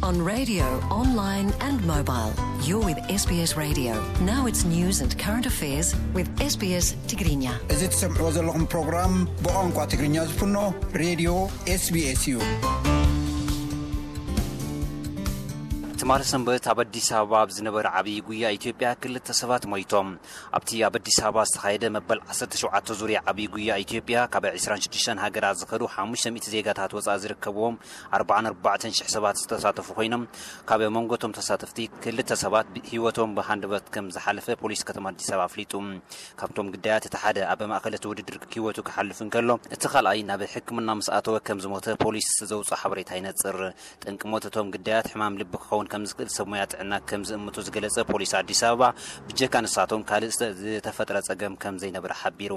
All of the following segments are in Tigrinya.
On radio, online and mobile. You're with S B S Radio. Now it's news and current affairs with S B S Tigrinya. እዚ ትሰምዕዎ ዘለኹም ፕሮግራም ብቋንቋ ትግርኛ ዝፍኖ ሬድዮ S B S እዩ። ትማሊ ሰንበት ኣብ ኣዲስ ኣበባ ኣብ ዝነበረ ዓብዪ ጉያ ኢትዮጵያ ክልተ ሰባት ሞይቶም። ኣብቲ ኣብ ኣዲስ ኣበባ ዝተኻየደ መበል ዓሰርተ ሸውዓተ ዙርያ ዓብዪ ጉያ ኢትዮጵያ ካብ ዕስራን ሽዱሽተን ሃገራት ዝኸዱ ሓሙሽተ ሚእቲ ዜጋታት ወፃኢ ዝርከብዎም ኣርባዓን ኣርባዕተን ሽሕ ሰባት ዝተሳተፉ ኮይኖም፣ ካብ መንጎ እቶም ተሳተፍቲ ክልተ ሰባት ብ-፣ ህይወቶም ብሃንደበት ከም ዝሓለፈ ፖሊስ ከተማ ኣዲስ ኣበባ ኣፍሊጡ። ካብቶም ግዳያት እቲ ሓደ ኣብ ማእኸል እቲ ውድድር ህይወቱ ክሓልፍ እንከሎ፣ እቲ ካልኣይ ናብ ሕክምና ምስ ኣተወ ከም ዝሞተ ፖሊስ ዘውፅኦ ሓበሬታ ይነፅር። ጠንቂ ሞት እቶም ግዳያት ሕማም ልቢ ክኸውን ከም ዝኽእል ሰብ ሞያ ጥዕና ከም ዝእምቱ ዝገለጸ ፖሊስ ኣዲስ ኣበባ፣ ብጀካ ንሳቶም ካልእ ዝተ-፣ ዝተፈጥረ ጸገም ከም ዘይነበረ ሓቢሩ።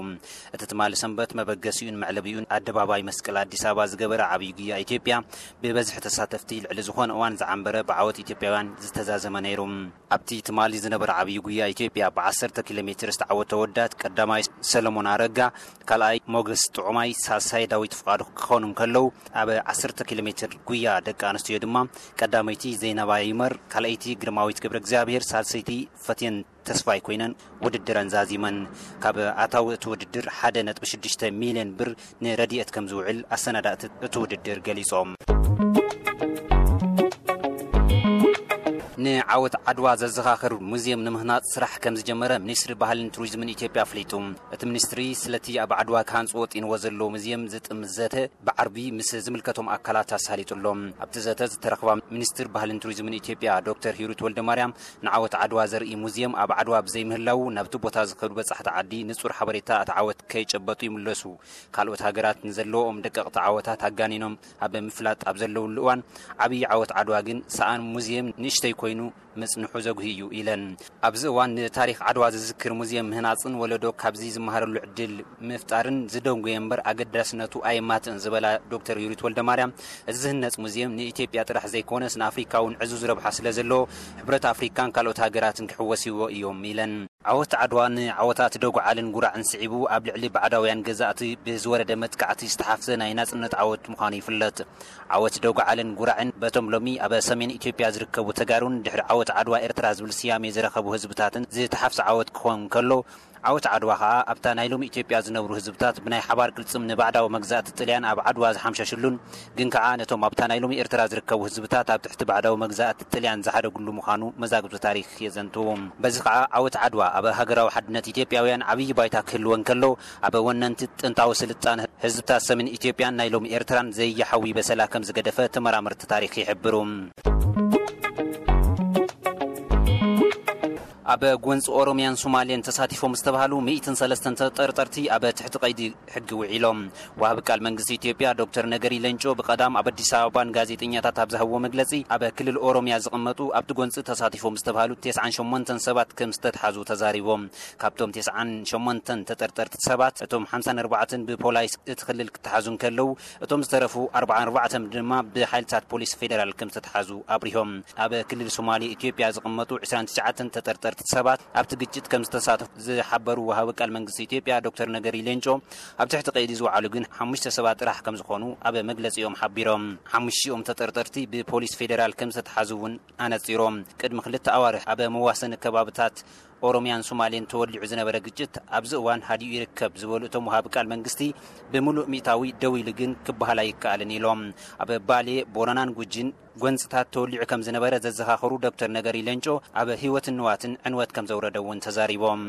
እቲ ትማሊ ሰንበት መበገሲኡን መዕለቢኡን ኣደባባይ መስቀል ኣዲስ ኣበባ ዝገበረ ዓብዪ ጉያ ኢትዮጵያ፣ ብበዝሒ ተሳተፍቲ ልዕሊ ዝኾነ እዋን ዝዓንበረ ብዓወት ኢትዮጵያውያን ዝተዛዘመ ነይሩ። ኣብቲ ትማሊ ዝነበረ ዓብዪ ጉያ ኢትዮጵያ ብዓሰርተ ኪሎ ሜትር ዝተዓወተ ወዳት ቀዳማይ ሰለሞን ኣረጋ፣ ካልኣይ ሞገስ ጥዑማይ፣ ሳልሳይ ዳዊት ፍቓዱ ክኾኑ እንከለዉ፣ ኣብ ዓሰርተ ኪሎ ሜትር ጉያ ደቂ ኣንስትዮ ድማ ቀዳመይቲ ዘይናባ ይመር፣ ካልኣይቲ ግርማዊት ገብረ እግዚኣብሔር፣ ሳልሰይቲ ፈትየን ተስፋይ ኮይነን ውድድረን ዛዚመን። ካብ ኣታዊ እቲ ውድድር ሓደ ነጥቢ ሽዱሽተ ሚልዮን ብር ንረድኤት ከም ዝውዕል ኣሰናዳእቲ እቲ ውድድር ገሊጾም። ንዓወት ዓድዋ ዘዘኻኽር ሙዚየም ንምህናጽ ስራሕ ከም ዝጀመረ ሚኒስትሪ ባህልን ቱሪዝምን ኢትዮጵያ ኣፍሊጡ። እቲ ሚኒስትሪ ስለቲ ኣብ ዓድዋ ክሃንጽዎ ወጢንዎ ዘሎ ሙዚየም ዝጥምት ዘተ ብዓርቢ ምስ ዝምልከቶም ኣካላት ኣሳሊጡ ኣሎ። ኣብቲ ዘተ ዝተረኽባ ሚኒስትር ባህልን ቱሪዝምን ኢትዮጵያ ዶክተር ሂሩት ወልደማርያም፣ ንዓወት ዓድዋ ዘርኢ ሙዚየም ኣብ ዓድዋ ብዘይምህላዉ ናብቲ ቦታ ዝኸዱ በጻሕቲ ዓዲ ንጹር ሓበሬታ እቲ ዓወት ከይጨበጡ ይምለሱ። ካልኦት ሃገራት ንዘለዎም ደቀቕቲ ዓወታት ኣጋኒኖም ኣብ ምፍላጥ ኣብ ዘለውሉ እዋን፣ ዓብዪ ዓወት ዓድዋ ግን ሰኣን ሙዚየም ንእሽተይ ኮይኑ ምጽንሑ ዘጉሂ እዩ ኢለን። ኣብዚ እዋን ንታሪኽ ዓድዋ ዝዝክር ሙዚየም ምህናጽን ወለዶ ካብዚ ዝመሃረሉ ዕድል ምፍጣርን ዝደንጎየ እምበር ኣገዳስነቱ ኣየማትእን ዝበላ ዶክተር ሂሩት ወልደማርያም፣ እዚ ዝህነጽ ሙዚየም ንኢትዮጵያ ጥራሕ ዘይኮነስ ንኣፍሪካ እውን ዕዙዝ ረብሓ ስለ ዘለዎ፣ ሕብረት ኣፍሪካን ካልኦት ሃገራትን ክሕወስዎ እዮም ኢለን። ዓወት ዓድዋ ንዓወታት ደጉዓልን ጉራዕን ስዒቡ፣ ኣብ ልዕሊ ባዕዳውያን ገዛእቲ ብዝወረደ መጥቃዕቲ ዝተሓፍዘ ናይ ናጽነት ዓወት ምዃኑ ይፍለጥ። ዓወት ደጉዓልን ጉራዕን በቶም ሎሚ ኣብ ሰሜን ኢትዮጵያ ዝርከቡ ተጋሩን ድሕሪ ዓወት ዓድዋ ኤርትራ ዝብል ስያሜ ዝረኸቡ ህዝብታትን ዝተሓፍዘ ዓወት ክኾን ከሎ፣ ዓወት ዓድዋ ኸኣ ኣብታ ናይ ሎሚ ኢትዮጵያ ዝነብሩ ህዝብታት ብናይ ሓባር ቅልጽም ንባዕዳዊ መግዛእቲ ጥልያን ኣብ ዓድዋ ዝሓምሸሽሉን፣ ግን ከኣ ነቶም ኣብታ ናይ ሎሚ ኤርትራ ዝርከቡ ህዝብታት ኣብ ትሕቲ ባዕዳዊ መግዛእቲ ጥልያን ዝሓደጉሉ ምዃኑ መዛግብቲ ታሪኽ የዘንትዉ። በዚ ኸኣ ዓወት ዓድዋ ኣብ ሃገራዊ ሓድነት ኢትዮጵያውያን ዓብዪ ባይታ ክህልወን ከሎ፣ ኣብ ወነንቲ ጥንታዊ ስልጣነ ህዝብታት ሰሜን ኢትዮጵያን ናይ ሎሚ ኤርትራን ዘየሓዊ በሰላ ከም ዝገደፈ ተመራመርቲ ታሪኽ ይሕብሩ። ኣብ ጎንፂ ኦሮሚያን ሶማሌን ተሳቲፎም ዝተባሃሉ ሚእትን ሰለስተን ተጠርጠርቲ ኣብ ትሕቲ ቀይዲ ሕጊ ውዒሎም። ወሃቢ ቃል መንግስቲ ኢትዮጵያ ዶክተር ነገሪ ሌንጮ ብቐዳም ኣብ ኣዲስ ኣበባን ጋዜጠኛታት ኣብ ዝሃብዎ መግለፂ፣ ኣብ ክልል ኦሮሚያ ዝቕመጡ ኣብቲ ጎንፂ ተሳቲፎም ዝተባሃሉ ተስዓን ሸሞንተን ሰባት ከም ዝተትሓዙ ተዛሪቦም። ካብቶም ተስዓን ሸሞንተን ተጠርጠርቲ ሰባት፣ እቶም ሓምሳን ኣርባዕተን ብፖላይስ እቲ ክልል ክተሓዙ እንከለዉ፣ እቶም ዝተረፉ ኣርባዓን ኣርባዕተን ድማ ብሓይልታት ፖሊስ ፌደራል ከም ዝተትሓዙ ኣብሪሆም። ኣብ ክልል ሶማሌ ኢትዮጵያ ዝቕመጡ ዕስራን ትሽዓተን ተጠርጠርቲ ሰባት ኣብቲ ግጭት ከም ዝተሳተፉ ዝሓበሩ ወሃቢ ቃል መንግስቲ ኢትዮጵያ ዶክተር ነገሪ ሌንጮ፣ ኣብ ትሕቲ ቀይዲ ዝወዓሉ ግን ሓሙሽተ ሰባት ጥራሕ ከም ዝኾኑ ኣብ መግለጺኦም ሓቢሮም። ሓሙሽቲኦም ተጠርጠርቲ ብፖሊስ ፌደራል ከም ዝተትሓዙ እውን ኣነጺሮም። ቅድሚ ክልተ ኣዋርሕ ኣብ መዋሰኒ ከባብታት ኦሮሚያን ሶማሌን ተወሊዑ ዝነበረ ግጭት ኣብዚ እዋን ሃዲኡ ይርከብ ዝበሉ እቶም ወሃቢ ቃል መንግስቲ፣ ብምሉእ ሚእታዊ ደው ኢሉ ግን ክበሃል ኣይከኣልን ኢሎም። ኣብ ባሌ፣ ቦረናን ጉጂን ጎንፅታት ተወሊዑ ከም ዝነበረ ዘዘኻኸሩ ዶክተር ነገሪ ሌንጮ፣ ኣብ ህይወትን ንዋትን ዕንወት ከም ዘውረደ እውን ተዛሪቦም።